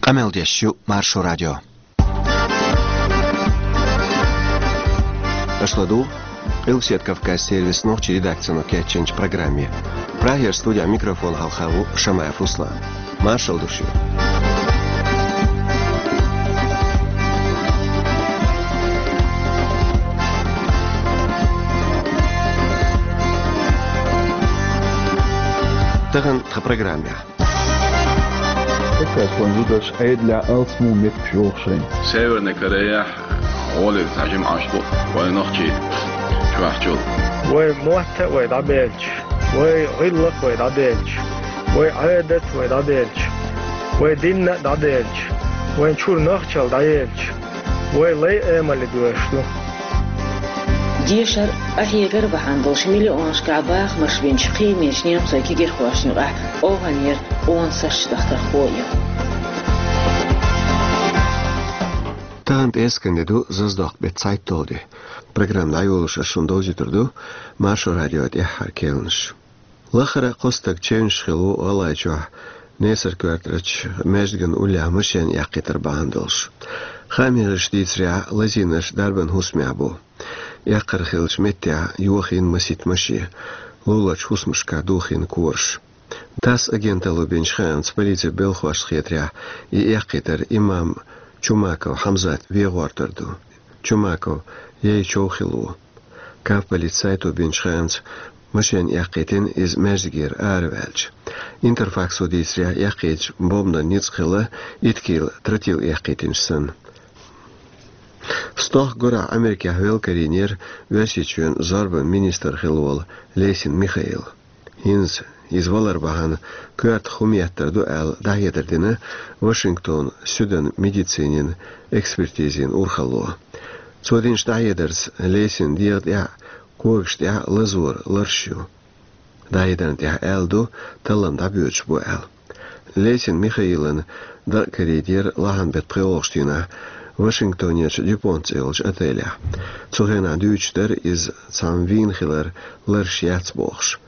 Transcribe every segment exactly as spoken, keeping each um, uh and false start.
Къамел деш ю Маршо радио. Аша ладугӀу Къилбаседа Кавказан сервисан нохчийн редакцино кечйинчу программе. Прагера студехь микрофон хьалха ву Шамаев Руслан. Маршалла ду шуьга. Тахана тхан программехь. Кавказан зударша Ӏедалехь алсам меттигаш йоху шайна. Северная Кореяхь гӀоле цхьа жимма Ӏаш бу вайн нохчий чохь чул. Вай мотт а вай дӀабелча, вай гӀиллакх а вай дӀабелча, вай Ӏадат а вай дӀабелча, вай дин а дӀабелча, вайн чуьра нохчалла дӀаелча, вай лай а Ӏамал а доьшуш ду. Дешар а, къахьегар а бахьана долуш миллионашкахь бахамаш бинчу кхиамечу немцойн кегийрхошна юкъахь къовхьанера къона саша дахкархо а ю. Тахана тӀе эскан де ду, Зазадоккху беттан цхьайтталгӀа де. Программа дӀайолош ас шуна довзуьйтур ду Маршо радион тӀаьххьара керланаш. Лахара кхо стаг чевнаш хилла ву ГӀалгӀайчохь Несар-Коьртарчу маьждиган уллехь машен яккхийтар бахьана долуш. Хааман гӀирсаша дийцарехь, лазийнарш дарбан хӀусамехь бу. Эккхар хиллачу меттехь йохийна масийтта машен, луларчу хӀусамашкахь дохийна кораш. ТАСС агенталло бинчу хаамца, полицин белхалошна хетарехь, и эккхийтар имам Чумаков Хьамзат вен гӀортар ду. Чумаков яй чов хилла ву. Кавполицин сайто бинчу хаамца, машен эккхийтина иза маьждигера араваьлча. Интерфаксо дийцарехь, эккхийтачу бомбанан ницкъ хилла итт кила тротил эккхийтинчу санна. Стохка гурахь Америкехь велакарийнера Оьрсийчоьнан зорбанан министр хилла волу Лесин Михаил. ХӀинца иза валар бахьана коьртах хӀума еттар ду аьлла, дӀахьедар дина Вашингтонан суьдан медицинин экспертизин урхалло. Цо динчу дӀахьедарца, Лесинан дегӀа тӀехь а, когашна тӀехь а лазоран ларш ю. ДӀахьедарна тӀехь аьлла ду, таллам дӀабоьдуш бу аьлла. Лесин Михаилан дакъа карийтира лахьанан беттан пхоьалгӀачу дийнахь Вашингтонерчу Дюпонт цӀе йолчу отелехь. Цу хенахь дуьйцуш дара иза цхьамма вийна хилар, ларш яц бохуш.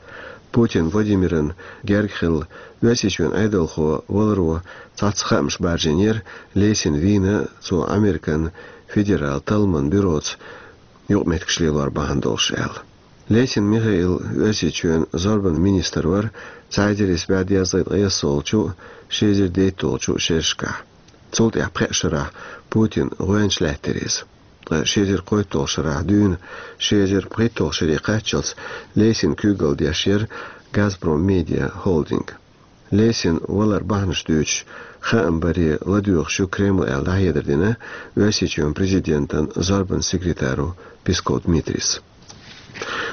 Путин Владимирна герга хилла, Оьрсийчоьнан Ӏедалхо валаро цхьацца хаамаш баржийнера, Лесин вийна цо Американ федералан талламан бюроца юкъаметтигаш лелор бахьана долуш аьлла. Лесин Михаил Оьрсийчоьнан зорбанан министр вара цхьа эзар исс бӀе дезткъе ткъайоьсналгӀачу, ши эзар дейтталгӀачу шерашкахь. Цул тӀаьхьа пхеа шарахь Путинан гӀоьнча лаьттира иза. Ткъа ши эзар кхойтталгӀачу шарахь дуьйна ши эзар пхийтталгӀачу шаре кхаччалц Лесин куьйгалла деш яра «Газпром Медиа» холдинг. Лесин валар бахьанаш дуьйцуш, хаам баре ладоьгӀуш ю Кремль аьлла, дӀахьедар дина Оьрсийчоьнан президентан зорбанан секретаро Песков Дмитрийс.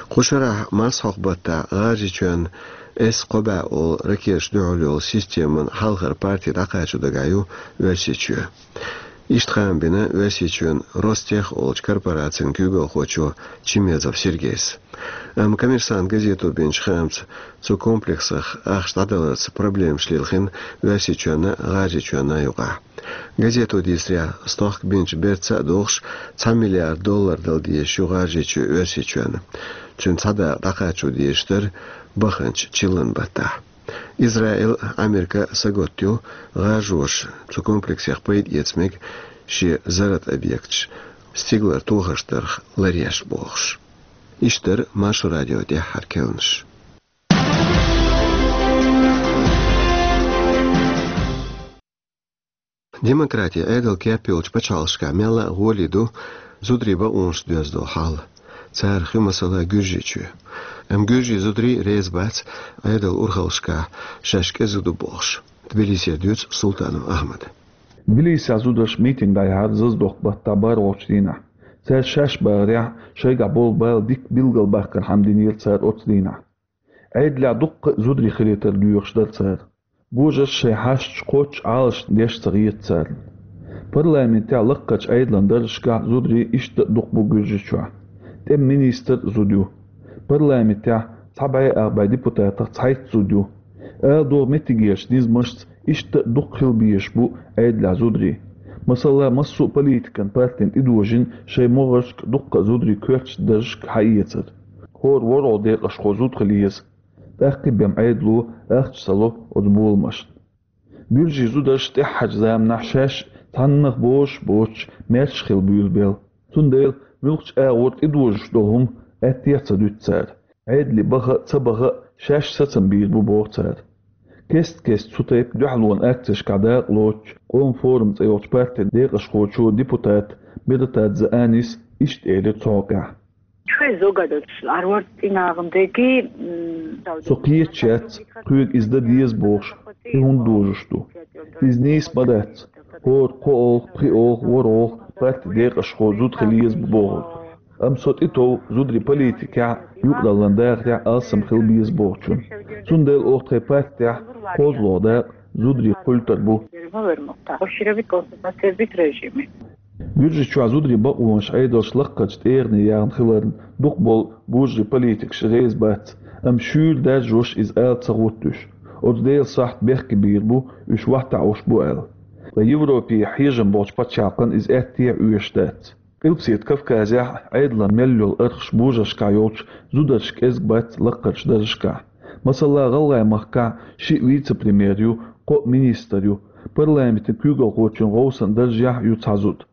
Кху шарахь масхьокху баттахь ГӀажарийчоьнна С кхо бӀе олу ракеташ дуьхьал йолу системан хьалхара парти дӀакхачо дагахь ю Оьрсийчоь. Иштта хаам бина Оьрсийчоьнан Ростех олучу корпорацин куьйгалхочо Чимезов Сергейс. Амма «Коммерсант» газето бинчу хаамца, цу комплексах ахча дӀадаларца проблемаш лилхина Оьрсийчоьнна а, ГӀажарийчоьнна а юкъахь. Газето дийцарехь, стохка бинчу берца а догӀуш, цхьа миллиард доллар дала дезаш ю ГӀажарийчоь Оьрсийчоьнна. Цуьнан цхьа дакъа дӀакхачо дезаш дара баханчу чиллан баттахь. Израиль а, Америка а сагатду ГӀажарийчоьнна цу комплексех пайда эца мега шен зарратан объекташ стигалара тохарш дарх ларъеш бохуш. Иштта дара Маршо радион тӀаьххьара керланаш. Демократи, Ӏедал кеп йолчу пачхьалкхашкахь мелла а гӀоле ду зударийн бакъонаш доьзна долу хьал. Царах ю, масала, Гуьржийчоь. Амма гуьржийн зударий реза бац Ӏедалан урхаллашкахь шаьш кӀезиг ду бохуш. Тбилисера дуьйцу Султанов Ахьмада. Тбилисехь зударша митинг дӀаяьхьира Зазадоккху баттахь бархӀалгӀачу дийнахь. Цара шаьш бахарехь, шайгахь болу бала дика билгалбаккхархьама динера цара оцу дийнахь. Ӏедалехь дуккха а зударий хилийтар доьхуш дара цара. Божарша шайн хьашташ кхоччуш Ӏалашна деш ца хета царна. Парламентехь лаккхарчу Ӏедалан даржашкахь зударий иштта а дукха бу Гуьржийчохь. ТӀеман министр а зуда ю. Парламентехь цхьа бӀе ах бӀе депутатах цхьайтта зуда ю. Ала догӀу, меттигерчу низамашца иштта а дукха хила безаш бу Ӏедалехь зударий. Масала, массо а политикан партина тӀедожийна шайн могӀаршка дуккха а зударий коьртачу даржашка хьаэцар. ХӀора ворхӀалгӀа декъашхо зуда хила еза. ТӀаккха бен Ӏедало ахча ца ло оцу боламашна. Буьржийн зударша тӀаьххьарчу заманахь шаьш цхьаннах бозуш а боцуш, маьрша хила буьйлабелла. Цундела муьлххачу агӀор тӀедожош долу хӀума аьттехьа ца дуьту цара. Ӏедале баха а, ца баха а, шаьш сацам бийр бу боху цара. Кест-кеста цу тайпа дуьхьалонан акцешкахь дакъа лоцучу Къоман форум цӀе йолчу партин декъашхочо, депутата Бератадзе Анис иштта элира цу хьокъехь. Шуьйза угадалц арварт цӀинагӀан деги, м, Со кхеташ яц, кхуьга иза дан деза бохуш, и хӀунда дожуш ду. Иза нийса ма дац, хӀора кхо олху, пхи олху, ворхӀ олху партин декъашхо зуда хила еза бу бохург. Амма со тӀетов зударийн политикехь, юкъараллин дахарехь алсам хила беза бохучунна. Цундела оха тхайн партехь кхозлагӀа дакъа зударийн культура бу. Буьржичохь зударийн бакъонаш Ӏедалша лаккхарчу тӀегӀане яьхна хиларна дукхахболу божарийн политикаш реза бац, амма шуьйра даржош иза ала ца гӀоттуьйтуш. Оцу Делан сахьт бехке бийр бу, уьш вахтахь уьш бу аьлла. Ткъа Европехь хьежам болчу пачхьалкхана иза аьттехьа оьшуш дац. Къилбаседа Кавказехь Ӏедалан мел йолу архаш божаршкахь йолчу зударшка кӀезиг бац лаккхарчу даржашкахь. Масала, ГӀалгӀайн махкахь шиъ вице-премьер ю, кхоъ министр ю, парламентан куьйгалхочун гӀовсан даржехь ю цхьа зуда.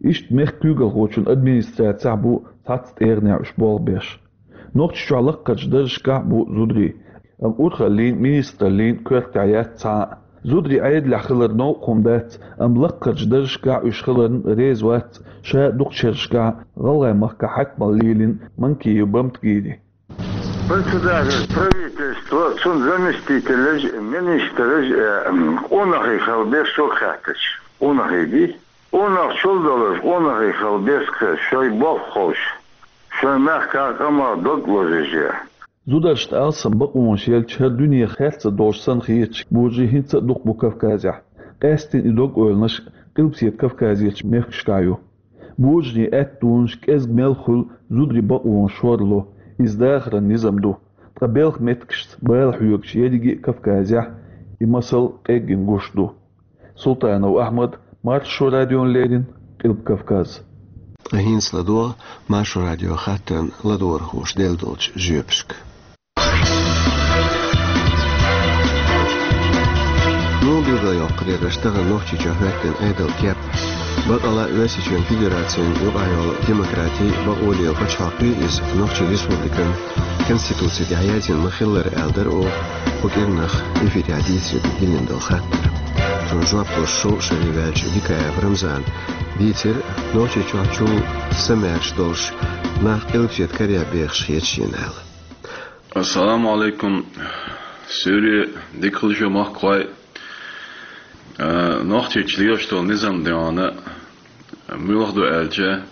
Иштта мехкан куьйгалхочун администрацехь бу цхьацца тӀегӀанехь уьш болх беш. Нохчийчохь лаккхарчу даржашкахь а бу зударий, амма урхаллин, министраллин коьртехь яц цхьа а. Зударий Ӏедалехь хилар новкъа хӀума дац, амма лаккхарчу даржашкахь уьш хиларна реза вац ша дукхачу шерашкахь ГӀалгӀайн махкахь хьаькамалла лелийна Манкиев Бамтгири. Председатель правительства, цуьнан заместителаш, министраш, э, къонахий хила беза шуьга хаьттича. Къонахий ди? Къонах чул долуш, къонахий хила беза кхин, шайн болх ховш, шайн мехкан къаман дог лозуьйтуш. Зударшна алсам бакъонаш елча, хӀара дуьне херца долуш санна хеташ божарий хӀинца а дукха бу Кавказехь. Къаьсттина и дог-ойланаш Къилбаседа Кавказерчу мехкашкахь ю. Божарийн аьттонаш кӀезиг мел хуьлу зударийн бакъонаш шорло, иза дахаран низам ду. Ткъа белхан меттигашца бала хьоьгуш ерриге а Кавказехь и масал къеггина гуш ду. Султанов Ахьмад, Маршо радиона леррина, Къилба Кавказ. Ткъа хӀинца ладогӀа Маршо радион хаттарна ладогӀархоша делла долчу жоьпашка. Муха билгалйоккхур яра аша тахана Нохчийчохь хӀоьттина Ӏедалан кеп? Бакъала а Оьрсийчоьнан Федерацин юкъахь йолу демократи, бакъо лела пачхьалкх ю иза, Нохчийн Республикан Конституци тӀехь яздина ма-хиллара аьлла дара оха кху кӀирнах эфирехь дийцаре диллина долу хаттар. Цунна жоп луш шовзткъа шаре ваьллачу Дикаев Рамзана дийцира Нохчийчохь чул самаьрша долуш нах Къилбаседа карехь бехаш хета шена аьлла. Ассаламу алейкум. Суьйре дика хуьлда шун, махкахой. Э, Нохчийчу лелаш долу низам дегӀана муьлха ду аьлча,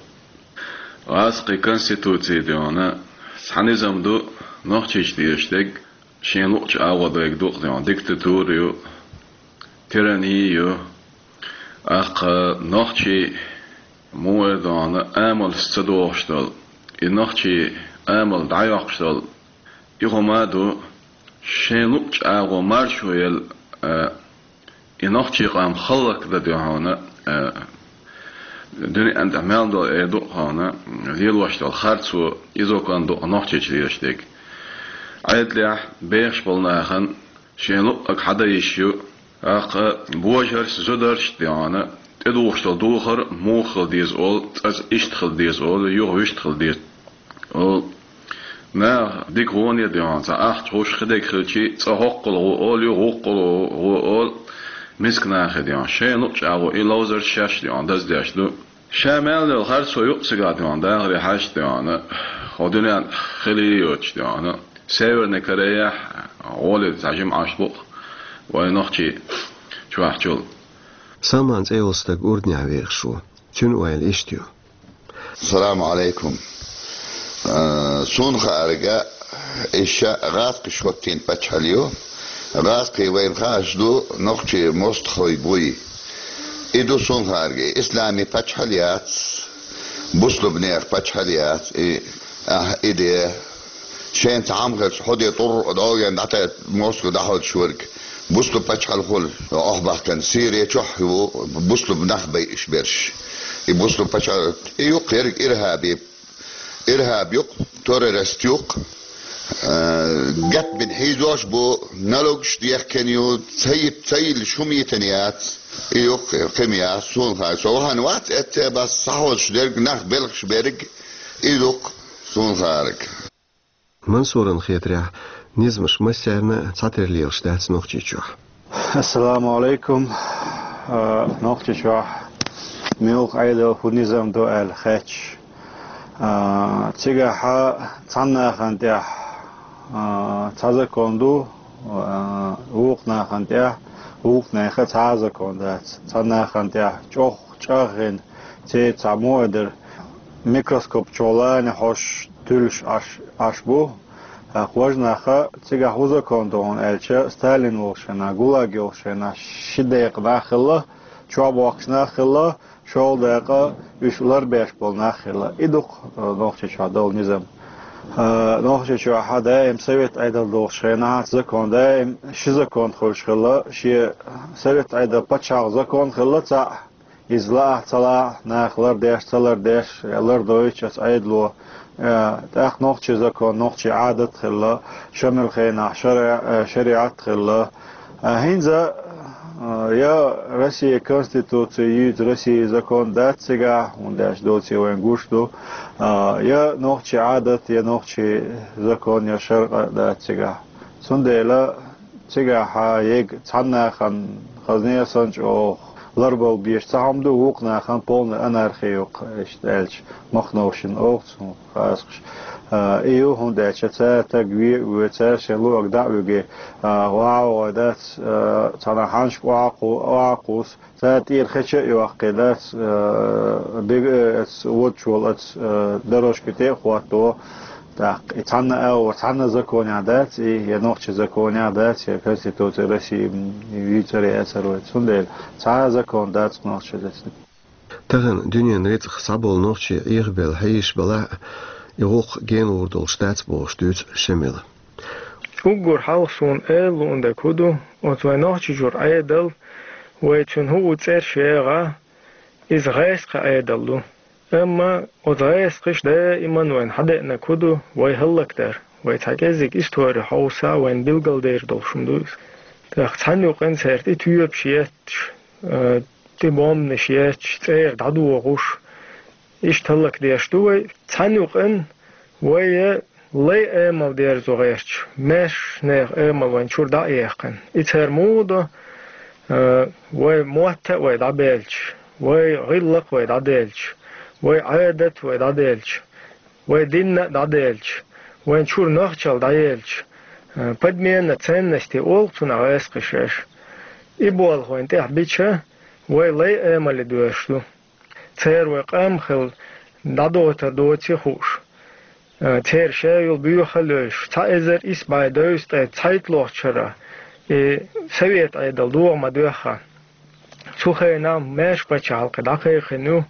гӀазкхийн конституци дегӀана цхьа низам ду, Нохчийчу лелаш дерг шен луъучу агӀо дерг ду-кх дегӀана, диктатура ю, тирани ю. ТӀаккха нохчий муха дегӀана амалш ца дохуш долу, и нохчий амал дӀайоккхуш долу, и хӀума а ду, шен луъучу агӀо маршо елла, а, и нохчий къам хӀаллакдан дегӀана, а, дуьнен тӀехь мел долу, э, ду-кх хьуна, лелош долу харцо, и закон ду-кх Нохчийчу лелаш дерг. Ӏедалехь бехаш болу нахана шен луъург хьадан йиш ю. ТӀаккха божаршца, зударшца дегӀана тӀедухуш долу духар муха хила деза олу, цкъа иштта хила деза олу, юха вуьшта хила деза олу. Наха дика гӀоне дегӀана цхьа ахча гӀуш хи дерг хилчий, цкъа хӀоккхул гӀо олу, юха вуккхул гӀо олу, миска нахе дегӀана шайна луъучу агӀор и ловзарш шаьш дегӀана даздеш ду. Ша мел йолу харцо юкъа цигахь дегӀана дахаре хьаьжча дегӀана, хӀо дуьнен хили йоцуш дегӀана, Северный Корейхь гӀоле цхьа жимма Ӏаш бу-кх вайн нохчий чохь чул. Салман цӀе йолу стаг Урданехь вехаш ву. Цуьнан ойла иштта ю. Салам алейкум. Э, суна хаарга, иша гӀазкхаша хӀоттийна пачхьалкх ю. ГӀазкхий вайна хууш ду, нохчий мостагӀий буй. И ду суна хаарга, и исламий пачхьалкх яц, бусулбанех пачхьалкх яц, и, ахь, и де. Шен цхьа хӀума хилча, хьо де тӀур а дӀогӀен дӀатаьӀа мостагӀа дӀахьоьцуш верг. Бусулба пачхьалкх хуьлу, охьабахкана, Сири чохь ву бусулба нах байъаш берш. И бусулба пачхьалкх, и юкъ ерг ирхӀаби, ирхӀаб юкъ, террорист юкъ, Э, гатбин хьийзош бу, налогаш дехкан ю, цаип, цаил шум йитан яц, и юх кхим яц, суна хай. Со вахан вац, эцце бас сахваш дерг, нах белхаш берг, и дух суна хараг. Мансуран хетарехь, низамаш массарна цхьатера лелаш дац Нохчийчохь. Ассаламу алейкум. А, Нохчийчохь муьлха Ӏедал, хӀун низам ду аьлла хеташ. А, цигахьа цхьаннахана тӀехь, а, цхьа закон ду, а, вукху нахана тӀехь, вукху нехан цхьа а закон дац. Цхьаннахана тӀехь чӀох чӀагӀйина, церан цхьа муха а дара, микроскоп чу лана хьош туьллуш Ӏаш, Ӏаш бу. ТӀаккха важа наха цигахь хӀун закон ду хьуна аьлча, Сталин волчу хенахь, ГУЛАГ йолчу хенахь ши декъа нах хилла, чохь бохкуш нах хилла, шолгӀа декъа уьш ларбеш болу нах хилла. И ду-кх, э, Нохчийчохь долу низам. Э, Нохчийчохь даим совет Ӏедал долчу хенахь закон, даим ши закон хуьлуш хилла, шен совет Ӏедал пачхьалкхан закон хилла цхьаъ, иза лаахь а, ца лаахь а, нах лардеш а, ца лардеш а, я лардойтуш оцу Ӏедало. Э, тӀаккха нохчийн закон, нохчийн Ӏадат хилла, Шамилан хенахь шари-, э, шариӀат хилла. Э, хӀинца, э, я Россин Конституци юьйцу Россин закон дац цигахь, хӀунда аьлча доций вайн гуш ду, э, я нохчийн Ӏадат, я нохчийн закон, я шариӀат дац цигахь. Цундела цигахь ега цхьаннахана хазне а санна чӀогӀа ларбала безаш цхьа хӀума ду, вукху нахана полная анархия ю-кх, иштта аьлча, Махновшина олу цунах хазахаш. А, и ю, хӀунда аьлча цара стаг ве а ве, цара шайн луъург дӀа а вуьгий, а, ваха а вогӀий дац, а, цхьана хьанашка охьа а кху-, охьа а кхуссу, цара тӀера хеча а йоккхий дац, а, диг-, а, оцу водачу волу оцу, а, дорожки тӀе а хӀотто. ТӀаккха и цхьанна агӀор, цхьанна законехь дац и, я нохчийн законехь дац, я Конституци России, м, юьйцур яцара вай. Цундела цхьа а закон дац нохчийн. Тахана дуьненан рицкъах схьаболу нохчий Ӏехабелла хьийзаш белахь а, и гӀуллакх генагӀур долуш дац бохуш дуьйцу Шамила. Уггар хьалха суна эр луун дерг хӀун ду, оцу вайн Нохчийчуьра Ӏедал, вай цуьнан хӀуъу цӀераш ягӀа, иза гӀаскхийн Ӏедал ду. Амма оцу гӀаскхаша даиман вайна хьадеанарг хӀун ду, вай хӀаллакдар, вай цхьа кӀеззиг истори хьовса, вайна билгалдер долуш хӀума ду иза. ТӀаккха цхьана юкъана цаьрга и тоьпаш етташ, а, тӀе бомбанаш етташ, цӀера дӀадохуш, иштта хӀаллакдеш ду вай. Цхьана юкъана вай лай амал дерзо гӀерташ, маьршачу нехан амал вайн чуьра дӀа а яьккхина. И цара муха до, а, вай мотт а вай дӀабаьлча, вай гӀиллакх а вай дӀадаьлча, вай Ӏадат а вай дӀадаьлча, вай дин а дӀадаьлча, вайн чуьра нохчалла дӀаелча, а, подмена ценностей олу цунах гӀаскхаша. И болх вайна тӀехь бича, вай лай амале доьрзуш ду. Церан вай къам хилла дӀадойтур доций хууш, а, церан шайолу боьха а лоьйш, цхьа эзар исс бӀе дезткъе цхьайтталгӀачу шарахь и совет Ӏедал догӀа ма-доьххьа. Цу хенахь маьрша пачхьалкх дӀакхайкхина ю,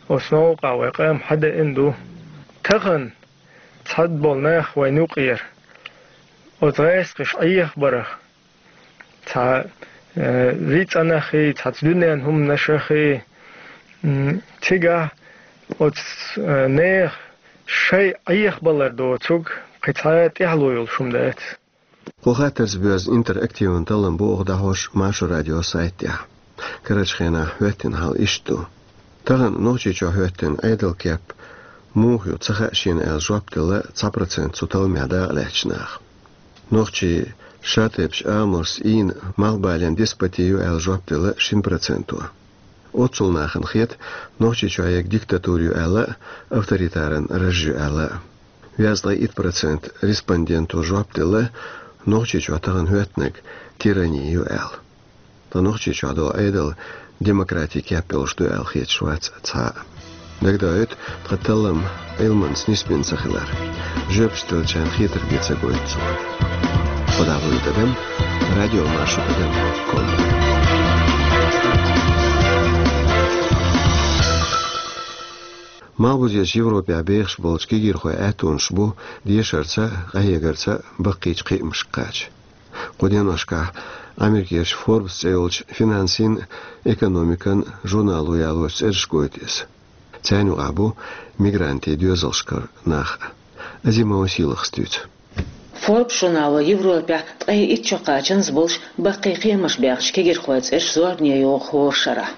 оцу новкъахь вай къам хьадеана ду. Тахана цхьаболу нах вайна юкъера оцу гӀаскхаша Ӏехабарах, цхьа, э, вицӀанахий, цхьацца дуьненан хӀуманашахий, м, цигахь оцу, э, нехан шайн Ӏехабалар доцург кхин цхьа а тӀаьхьало йолуш хӀума дац. Кху хаттарца боьзна интерактиван таллам бу оха дӀахьош Маршо радион сайта тӀехь. Карарчу хенахь хӀоьттина хьал иштта ду. Тахана Нохчийчохь хӀоьттина Ӏедалан кеп муха ю ца хаьа шена аьлла жоп делла цхьа процент цу талламехь дакъалаьцначу наха. Нохчийн шатайпа амалш, ийна малхбален деспоти ю аьлла жоп делла шина проценто. Оццул нахана хета, Нохчийчохь ерг диктатура ю аьлла а, авторитаран раж ю аьлла а. Везткъе итт процент респонденто жоп делла, Нохчийчохь тахана хӀоьттинарг тирани ю аьлла. Ткъа Нохчийчохь долу Ӏедал демократин кеп йолуш ду аьлла хеташ вац цхьа а. Дагадоуьйту тхан таллам Ӏилманца нисбина ца хилар. Жоьпаш деллачарна хетарг бен ца гойту цо. Кхо дӀа вуьйта адам, радио Маршо адам ком. Малхбузерчу Европехь бехаш болчу кегийрхойн аьттонаш бу дешарца а, къахьегарца а баккхийчу кхиамашка кхача. Кху деношкахь Америкерчу Forbes цӀе йолчу финансийн а, экономикан а журнало ялочу цӀераш гойту иза. Царна юкъахь бу мигрантийн доьзалшкара нах а. Азимова Сийлахас дуьйцу. Forbes журнало Европехь ткъе итт чо кхачанза болуш баккхий кхиамаш баьхначу кегирхойн цӀераш зорбане йогӀу хӀора шарахь.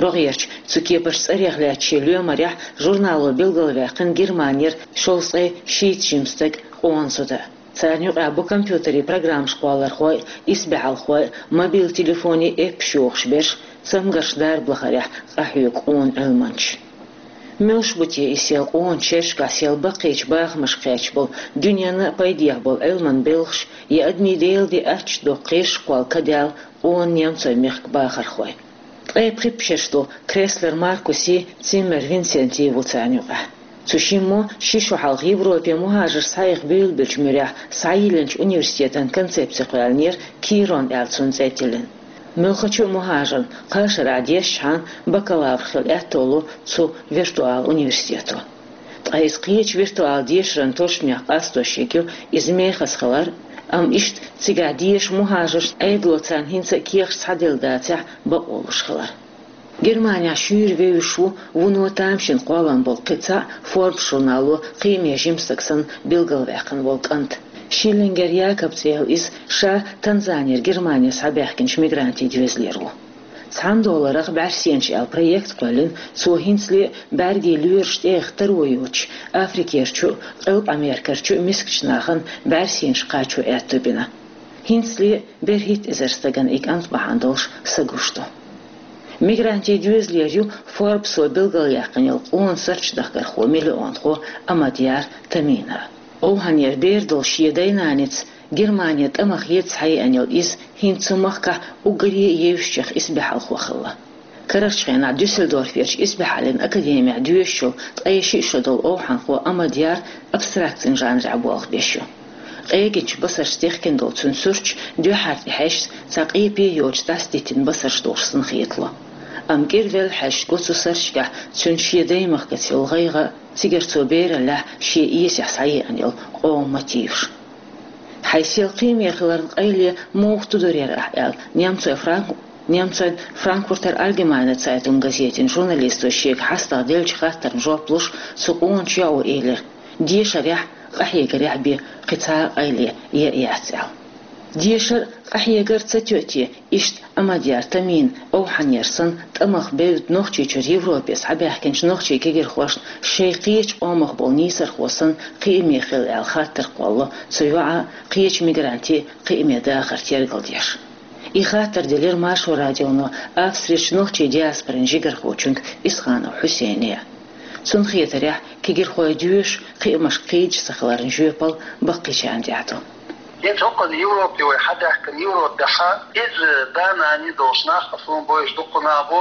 РогӀерчу цу кепарчу цӀарех лаьттачу шен лоьмарехь журнало билгалваьккхина Германера шовзткъе шийтта жима стаг, къона зуда. Царна юкъахь бу компьютерийн программаш кхоллархой, исбаьхьалхой, мобил телефонийн эппаш йохуш берш, цамгарш дарба лахарехь къахьоьгу къона Ӏилманчаш. Муьлш бу те и сел къона шерашкахь сел баккхийчу бахамашка кхаьчна болу, дуьненна а пайдехь болу Ӏилман белхаш, я адамийн Делан де аттачу доккху кхераш кхолла кадаьлла къона немцойн мехкан бахархой? Ткъе пхи шераш долу Креслер Маркуси, Циммер Винсенти ву царна юкъахь. Цу шиммо ши шо хьалха Европе мухӀажарш схьаэха буьйлабеллачу муьрехь схьайиллинчу университетан концепци кхоьллинера Кирон аьлла цунна цӀе тиллина. Муьлххачу а мухӀажарна кхаа шарахь дешчхьана бакалавр хила аьтто ло цу виртуал университето. Ткъа иза кхечу виртуал дешаран тосучу мехка къастош ерг ю, иза мехаза хилар, амма иштта цигахь деша мухӀажаршна Ӏедало царна хӀинца а кехаташ схьаделла дацахь, бакъо луш хилар. Германехь шуьйра вевзаш ву вуно тамашийна кхоллам болу кхин цхьа а Forbes журнало кхиаме жима стаг санна билгалваьккхина волу кӀант. Шиллингер Якоб цӀе йолу иза, ша Танзанера Германе схьабаьхкинчу мигрантийн доьзалера ву. «Цхьана долларах бӀаьрсенаш» аьлла проект кхоьллина цо хӀинцале а, бӀаьргийн лоьраш тӀеэха таро йоцуш, Африкерчу а, Къилбаха-Америкерчу а мискачу нахана бӀаьрсенаш кхачо аьтто бина. ХӀинцале а берхӀитта эзар стагана и кӀант бахьана долуш са гуш ду. Мигрантийн доьзалера ю Forbes-о билгалъяьккхина йолу къона сурташ дахкархо, миллионхо Амадьяр Тамина. Овхьанера бер долуш шен дай-наница Германе тӀамах еза схьаеана йолу иза хӀинца цу махкахь уггаре а евзачех исбаьхьалхо хилла. Карарчу хенахь Дюссельдорферчу исбаьхьаллин академехь доьшуш йолу ткъе шиъ шо долу овхьанхо Амадьяр абстракцин жанрехь болх беш ю. Къегинчу басаршца техкина долу цуьнан сурташ дуьххьара тӀе хьаьжча, цхьа къепе йоцуш дӀасадитина басарш долуш санна хетало. Амма кӀира велла хьаьжча, го цу сурташкахь цуьнан шен даймахкаца йолу гӀайгӀа а, цигара цо бераллехь шен эсехь схьаеана йолу къоман мотиваш. «Хьайн сел кхиаме хиларна къайле муха тудур яра ахь?» — аьлла, немцойн Франк-, немцойн Франкфуртер Альгемайне Цайтунг газетин журналисто шега хьастагӀа деллачу хаттарна жоп луш, цу къоначу йоӀо элира: «Дешарехь а, къахьегарехь а бен кхин цхьа а къайле ян яц», — аьлла. Дешар а, къахьегар а ца тоьу те, иштта Амадьяр Тамина овхьанера санна тӀамах бевдда Нохчийчуьра Европе схьабаьхкинчу нохчийн кегирхошна шайн кхечу къомах болу нийсархо санна кхиаме хила аьлла хаттар кхоллало цу йоӀа а, кхечу мигранте а кхиаме дахар тергалдеш. И хаттар делира Маршо радионо Австрерчу нохчийн диаспорин жигархочуьнга Исханов Хьусейне. Цунна хетарехь, кегирхой доьшуш, кхиамашка кхийдаш ца хиларна жоьпалла баккхийчарна тӀехь ду. ХӀинца хӀокхунна Европе вай хьадаьхкина, Европехь иза да-нана долуш нах, суна бовзуш дуккха нах бу,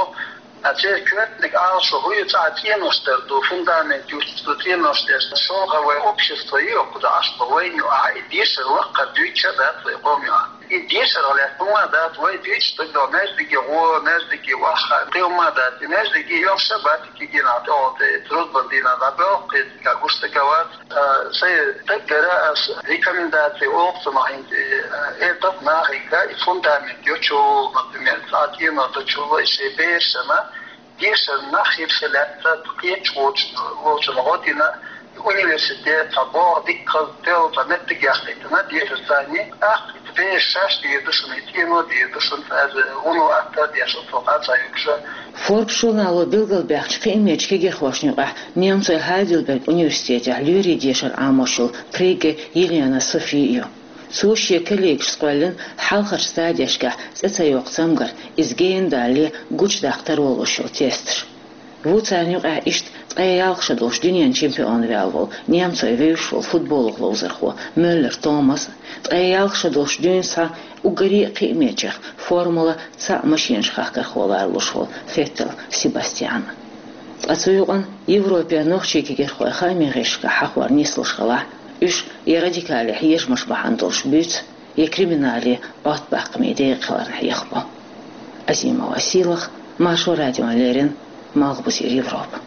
а церан коьртаниг ала шо хӀун ю, цӀа цӀенош дара ду, фундамент юьсту цӀенош деш, шолгӀа вай общество ю, кхуза Ӏаш бу вайна ю, а и дешар лаккхара дуьйцуш а дац вай къоман ю. И дешарах лаьцна хӀума дац, вай дуьйцуш дагадогӀу, маьждиге гӀо, маьждиге ваха, кхин хӀума дац, и маьждиге йохуш а бац, кегийнах тӀехула тӀе, трудбан дийнахь дӀабоьлху, кхетта гуш дагавац. А, сайн даггара ас рекомендаци олу цунах хӀинца, э, э, тап нахига и фундамент йочул, например, цӀа цӀено дочул, и шен берашна дешар нах хир хила лаьцна, кхечу волчун, волчун гӀо дина, университет, цхьа боху дикка хаза тел, цхьа меттиг яхийтина, дешар царний, тӀаккха и бераш шаьш дийр ду шуна, и цӀено дийр ду шуна, цкъа вуно атта а деш, оццул къа а ца юкъуш. Forbes журнало билгалбаьхначу кхиамечу кегирхошна юкъахь немцойн Хайдельберг университетехь лоьрийн дешар Ӏамош йолу Пригге Елена Софи ю. Цо шен коллегашца кхоьллина хьалхарчу стадешкахь цӀе ца йоккху цамгар, иза гена далале гучудаккха таро луш йолу тесташ. Ву царна юкъахь иштта ткъе ялх шо долуш дуьненан чемпион ваьлла волу, немцойн вевзаш волу футболах ловзархо Мюллер Томас, ткъе ялх шо долуш дуьйна схьа уггаре а кхиамечех формула цхьаъ машенаш хахкархо ларалуш волу Феттел Себастьян. Ткъа цу юкъана Европера нохчийн кегирхой хаамийн гӀирсашкахь хьахор нислуш хилахь, уьш я радикале хьежамаш бахьана долуш буьйцу, я криминале Ӏоттабаккхамийн декъа хиларна хьехабо. Азимова Сийлаха, Маршо радиона леррина, Малхбузера Европа.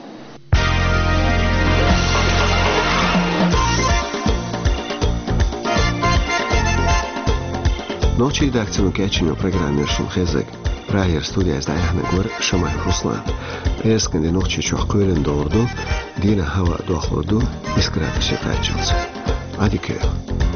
Нохчийн редакцино кечйина программа яра шуна хезнарг. Прагера студияза дӀаяьхьнарг вара Шамаев Руслан. ПӀераскан де Нохчийчохь кхоьлина долур ду, дийнахь хӀаваъ дохлур ду исс градусе кхаччалц. Ӏадика йойла.